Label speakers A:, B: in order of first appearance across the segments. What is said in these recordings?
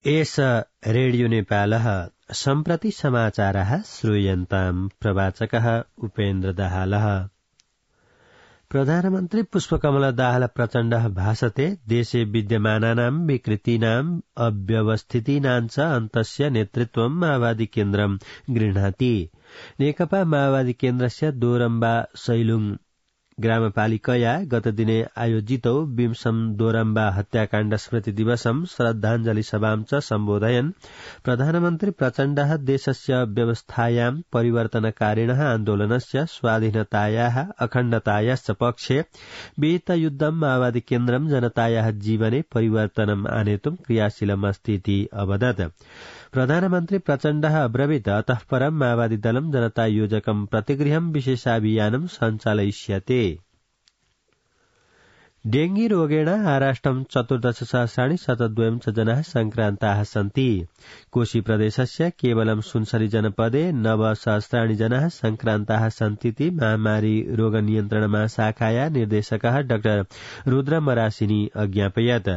A: एष रेडियो नेपालः सम्प्रति समाचारः श्रूयन्ताम् प्रवाचकः उपेन्द्र दाहालः। प्रधानमन्त्री पुष्पकमल दाहाल प्रचण्डः भाषते देशे विद्यमानानां विकृतीनाम् अव्यवस्थितीनां च अन्तस्य नेतृत्वं माओवादी केन्द्रं गृह्णाति। नेकपा माओवादी केन्द्रस्य दोरम्बा सैलुङ ग्रामपालिकया गतदिने आयोजितौ विंशम दोरम्बा हत्याकाण्ड स्मृति दिवसं श्रद्धाञ्जलि सभां च सम्बोधयन् प्रधानमन्त्री प्रचण्डः देशस्य व्यवस्थायां परिवर्तनकारिणः आन्दोलनस्य स्वाधीनतायाः अखण्डतायाश्च पक्षे विहितयुद्धं माओवादी केन्द्रं जनतायाः जीवने परिवर्तनम् आनेतुं क्रियाशीलमस्ति इति अवदत्। प्रधानमन्त्री प्रचण्डः अब्रवीत् अतः परं माओवादी दलं जनता योजकं प्रतिगृहं विशेषाभियानं सञ्चालयिष्यते। डेंगी रोगेण आराष्ट्रं 14,000 च जनाः संक्रान्ताः सन्ति। कोशी प्रदेशस्य केवलं सुनसरी जनपदे 9,000 जनाः संक्रान्ताः सन्तीति महामारी रोग नियन्त्रण महाशाखाया निर्देशकः डाक्टर रुद्र मरासिनी अज्ञापयत्।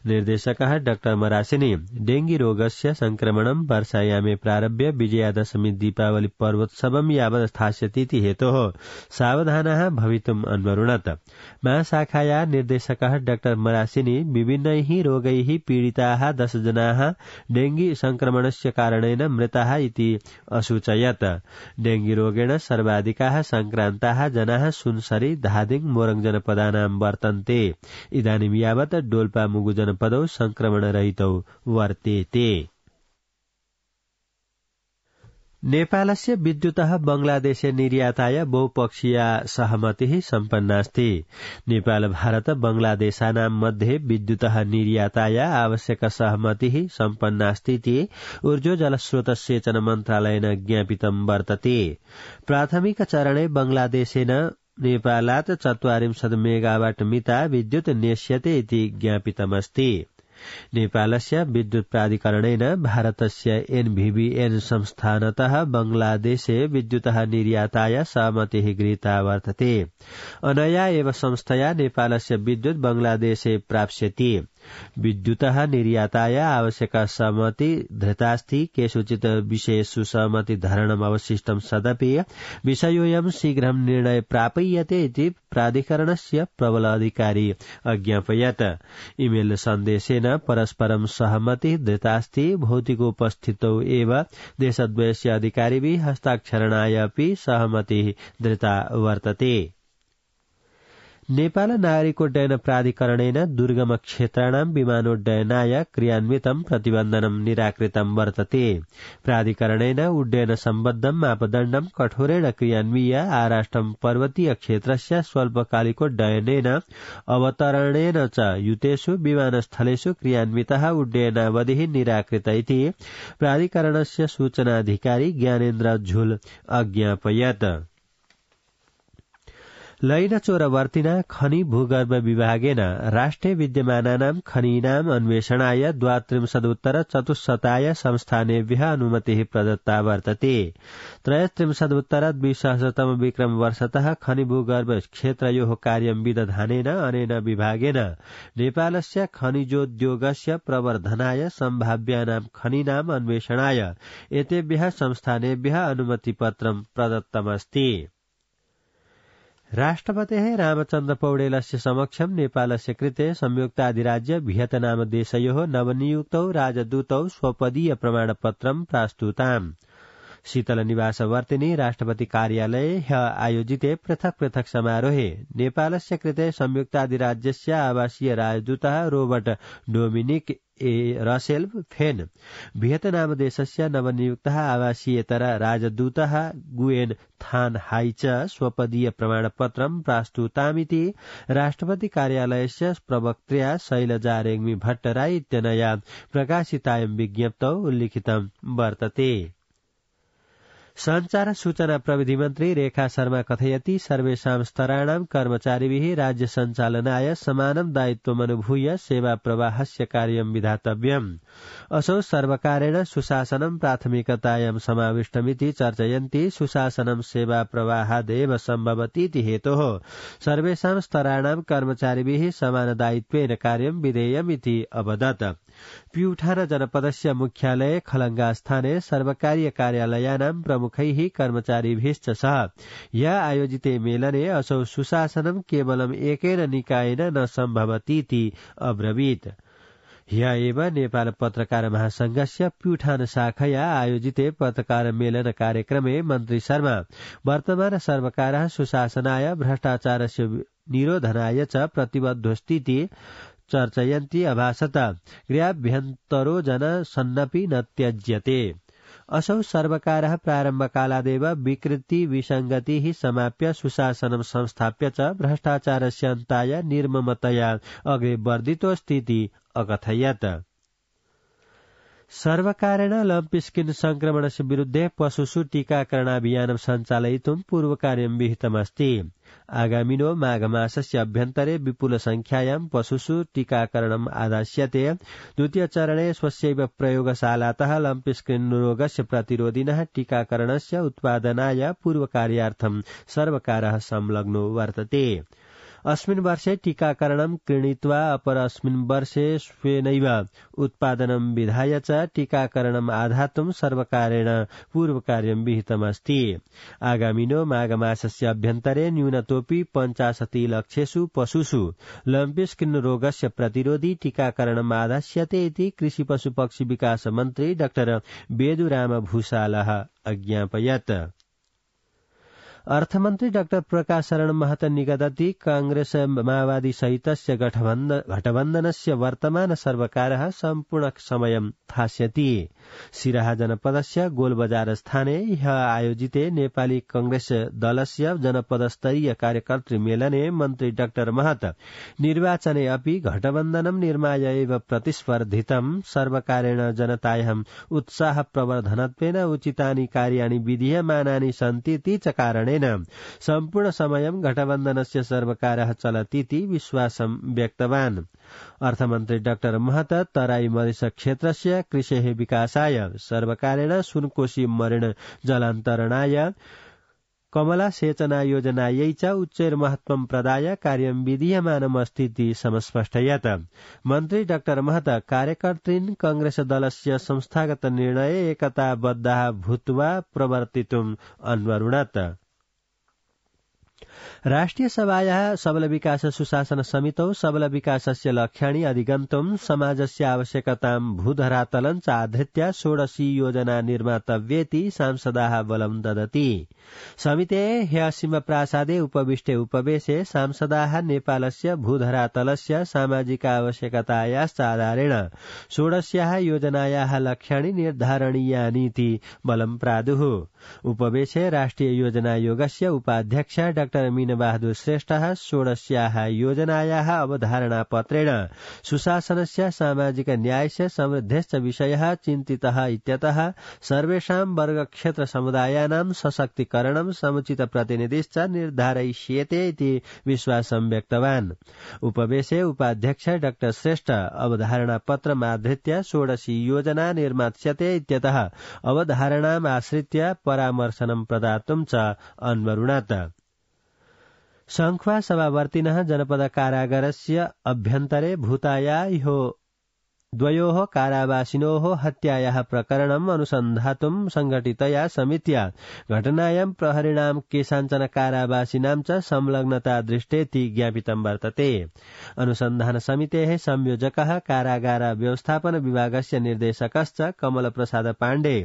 A: निर्देशकः डाक्टर मरासिनी डेंगी रोगस्य संक्रमणं वर्षायामे प्रारभ्य विजयादशमी दीपावली पर्वोत्सवं यावत् स्थास्यतीति हेतोः सावधानाः भवितुम् अन्वरुणत्। महाशाखाया निर्देशकः डाक्टर मरासिनी विभिन्नैः रोगैः पीडिताः 10 जनाः डेंगी संक्रमणस्य कारणेन मृताः इति असूचयत्। डेंगी रोगेण सर्वाधिकाः संक्रान्ताः जनाः सुनसरी धादिङ मोरङ जनपदानां वर्तन्ते। इदानीं यावत् डोल्पा मुगु जनपदौ संक्रमणरहितौ वर्तेते। नेपालस्य विद्युतः बंगलादेशे निर्याताय बहुपक्षीया सहमतिः सम्पन्नास्ति। नेपाल भारत बंगलादेशानां मध्ये विद्युतः निर्याताय आवश्यक सहमतिः सम्पन्नास्तीति ऊर्जो जलस्रोत सेचन मन्त्रालयेन ज्ञापितं वर्तते। प्राथमिक चरणे बंगलादेशेन नेपालात् 40 मेगावाट मिता विद्युत् नेष्यते इति ज्ञापितमस्ति। नेपालस्य विद्युत प्राधिकरणेन भारतस्य एनभीबीएन संस्थानतः बांग्लादेशे विद्युतः निर्याताय सहमतिः गृहीता वर्तते। अनया एव संस्थया नेपालस्य विद्युत बांग्लादेशे प्राप्स्यति। विद्युतः निर्याताय आवश्यक सहमति धृतास्ति। केषुचित् विषयेषु सहमति धारणम् अवशिष्टं सदपि विषयोऽयं शीघ्रं निर्णय प्रापय्यते इति प्राधिकरणस्य प्रबल अधिकारी अज्ञापयत्। ईमेल सन्देशेन परस्परं सहमति धृतास्ति। भौतिकोपस्थितौ एव देशद्वयस्य अधिकारिभिः हस्ताक्षरणाय अपि सहमतिः धृता वर्तते। नेपाल नागरिकोड्डयन प्राधिकरणेन दुर्गम क्षेत्राणां विमानोड्डयनाय क्रियान्वितं प्रतिबन्धनं निराकृतं वर्तते। प्राधिकरणेन उड्डयन सम्बद्धं मापदण्डं कठोरेण क्रियान्वीय आराष्ट्रं पर्वतीय क्षेत्रस्य स्वल्पकालिकोड्डयनेन अवतरणेन च युतेषु विमानस्थलेषु क्रियान्वितः उड्डयनावधिः निराकृत इति प्राधिकरणस्य सूचनाधिकारी ज्ञानेन्द्र झुल अज्ञापयत्। लैनचोरवर्तिना खनि भूगर्भ विभागेन राष्ट्रे विद्यमानानां खनीनाम् अन्वेषणाय 32 संस्थानेभ्यः अनुमतिः प्रदत्ता वर्तते। 33 विक्रम वर्षतः खनि भूगर्भ क्षेत्रयोः कार्यं विदधानेन अनेन विभागेन नेपालस्य खनिजोद्योगस्य प्रवर्धनाय सम्भाव्यानां खनीनाम् अन्वेषणाय एतेभ्यः संस्थानेभ्यः अनुमतिपत्रं प्रदत्तमस्ति। राष्ट्रपतेः रामचन्द्र पौडेलस्य समक्षं नेपालस्य कृते संयुक्ताधिराज्य भियतनाम देशयोः नवनियुक्तौ राजदूतौ स्वपदीय प्रमाणपत्रं प्रास्तुताम्। शीतल निवासवर्तिनी राष्ट्रपति कार्यालये ह्यः आयोजिते पृथक् पृथक् समारोहे नेपालस्य कृते संयुक्ताधिराज्यस्य आवासीय राजदूतः रोबर्ट डोमिनिक ए रसेल फेन, भियतनाम देशस्य नवनियुक्तः आवासीयेतर राजदूतः गुएन थान हाई च स्वपदीय प्रमाणपत्रं प्रास्तुतामिति राष्ट्रपति कार्यालयस्य प्रवक्त्र्या शैलजा रेग्मी भट्टराई इत्यनया प्रकाशितायां विज्ञप्तौ उल्लिखितं वर्तते। संचार सूचना प्रविधि मन्त्री रेखा शर्मा कथयति सर्वेषां स्तराणां कर्मचारिभिः राज्य सञ्चालनाय समानं दायित्वमनुभूय सेवा प्रवाहस्य कार्यं विधातव्यम्। असौ सर्वकारेण सुशासनं प्राथमिकतायां समाविष्टमिति चर्चयन्ति। सुशासनं सेवा प्रवाहादेव सम्भवतीति हेतोः सर्वेषां स्तराणां कर्मचारिभिः समान दायित्वेन कार्यं विधेयमिति अवदत्। प्युठान जनपदस्य मुख्यालय खलंगा स्थाने सर्वकारीय कार्यालयानां प्रमुखैः कर्मचारीभिश्च सह या आयोजिते मेलने असौ सुशासनं केवलम् एकेन निकायेन न सम्भवतीति अब्रवीत्। ह्य एव नेपाल पत्रकार महासंघस्य प्युठान शाखया आयोजिते पत्रकार मेलन कार्यक्रमे मन्त्री शर्मा वर्तमान सर्वकारः सुशासनाय भ्रष्टाचारस्य निरोधनाय च प्रतिबद्धोस्तीति चर्चयन्ती अभासत गृहाभ्यन्तरो जनसन्नपि न त्यज्यते। असौ सर्वकारः प्रारम्भकालादेव विकृति विसङ्गतिः समाप्य सुशासनं संस्थाप्य च भ्रष्टाचारस्य अन्ताय निर्ममतया अग्रे वर्धितोऽस्तीति अकथयत्। सर्वकारेण लम्पी स्किन संक्रमणस्य विरुद्धे पशुषु टीकाकरणाभियानं सञ्चालयितुं पूर्वकार्यं विहितमस्ति। आगामिनो माघमासस्य अभ्यन्तरे विपुल संख्यायां पशुषु टीकाकरणम् आदास्यते। द्वितीय चरणे स्वस्यैव प्रयोगशालातः लम्पी स्किन रोगस्य प्रतिरोधिनः टीकाकरणस्य उत्पादनाय पूर्वकार्यार्थं सर्वकारः संलग्नो वर्तते। अस्मिन् वर्षे टीकाकरणं क्रीणित्वा अपरस्मिन् वर्षे स्वेनैव उत्पादनं विधाय च टीकाकरणम् आधातुं सर्वकारेण पूर्वकार्यं विहितमस्ति। आगामिनो माघमासस्य अभ्यन्तरे न्यूनतोऽपि 85 लक्षेषु पशुषु लम्पी स्किन रोगस्य प्रतिरोधी टीकाकरणम् आदास्यते इति कृषि पशु पक्षी विकास मन्त्री डाक्टर बेदुराम भूषालः अज्ञापयत्। अर्थमन्त्री डाक्टर प्रकाश शरण महतो निगदति कांग्रेस माओवादी सहितस्य गठबन्धनस्य वर्तमान सर्वकारः सम्पूर्ण समयं थास्यति। सिराहा जनपदस्य गोलबजार स्थाने ह्य आयोजिते नेपाली कांग्रेस दलस्य जनपदस्तरीय कार्यकर्तृ मेलने मन्त्री डाक्टर महत निर्वाचने अपि घटबन्धनं निर्माय एव प्रतिस्पर्धितं सर्वकारेण जनतायाम् उत्साह प्रवर्धनत्वेन उचितानि कार्याणि विधीयमानानि सन्तीति च कारणेन सम्पूर्ण समयं घटबन्धनस्य सर्वकारः चलतीति विश्वासं व्यक्तवान्। अर्थमन्त्री डाक्टर महत तराई मधेस क्षेत्रस्य कृषेः विकासाय सर्वकारेण सुनकोशी मरण जलान्तरणाय कमला सेचना योजनायै च उच्चैर्महत्वं प्रदाय कार्यं विधीयमानमस्तीति समस्पष्टयत्। मन्त्री डाक्टर महत कार्यकर्तॄन् कांग्रेस दलस्य संस्थागत निर्णये एकताबद्धाः भूत्वा प्रवर्तितुम् अन्वरुणत्। राष्ट्रिय सभायाः सबल विकास सुशासन समितौ सबल विकासस्य लक्ष्याणि अधिगन्तुं समाजस्य आवश्यकतां भूधरातलं च आधृत्य षोडशी योजना निर्मातव्येति सांसदाः बलं ददति। समितेः ह्यसिम प्रासादे उपविष्टे उपवेशे सांसदाः नेपालस्य भूधरातलस्य सामाजिक आवश्यकतायाश्च आधारेण षोडश्याः योजनायाः लक्ष्याणि निर्धारणीयानीति बलं प्रादुः। उपवेशे राष्ट्रिय योजनायोगस्य उपाध्यक्ष डाक्टर मीनबहादुर श्रेष्ठः षोडश्याः योजनायाः अवधारणापत्रेण सुशासनस्य सामाजिक न्यायस्य समृद्धश्च विषयः चिन्तितः इत्यतः सर्वेषां वर्गक्षेत्र समुदायानां सशक्तिकरणं समुचित प्रतिनिधिश्च निर्धारयिष्येते इति विश्वासं व्यक्तवान्। उपवेशे उपाध्यक्ष डाक्टर श्रेष्ठ अवधारणापत्रमाधृत्य षोडशी योजना निर्मास्यते इत्यतः अवधारणाम् आश्रित्य परामर्शनं प्रदातुं च अन्वरुणत्। संख्वा सभावर्तिनः जनपद कारागारस्य अभ्यन्तरे भूताया द्वयोः कारावासिनोः हत्यायाः प्रकरणम् अनुसन्धातुं संघटितया समित्या घटनायां प्रहरिणां केषाञ्चन कारावासिनां च संलग्नता दृष्टेति ज्ञापितं वर्तते। अनुसन्धान समितेः संयोजकः कारागार व्यवस्थापन विभागस्य निर्देशकश्च कमल प्रसाद पाण्डे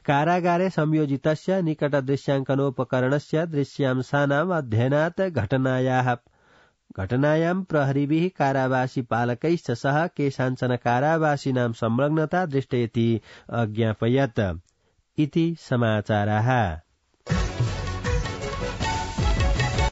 A: कारागारे संयोजितस्य निकटदृश्याङ्कनोपकरणस्य दृश्यांशानाम् अध्ययनात् घटनायां प्रहरीभिः कारावासी पालकैश्च सह केषाञ्चन कारावासिनां संलग्नता दृष्टेति अज्ञापयत् इति समाचाराः।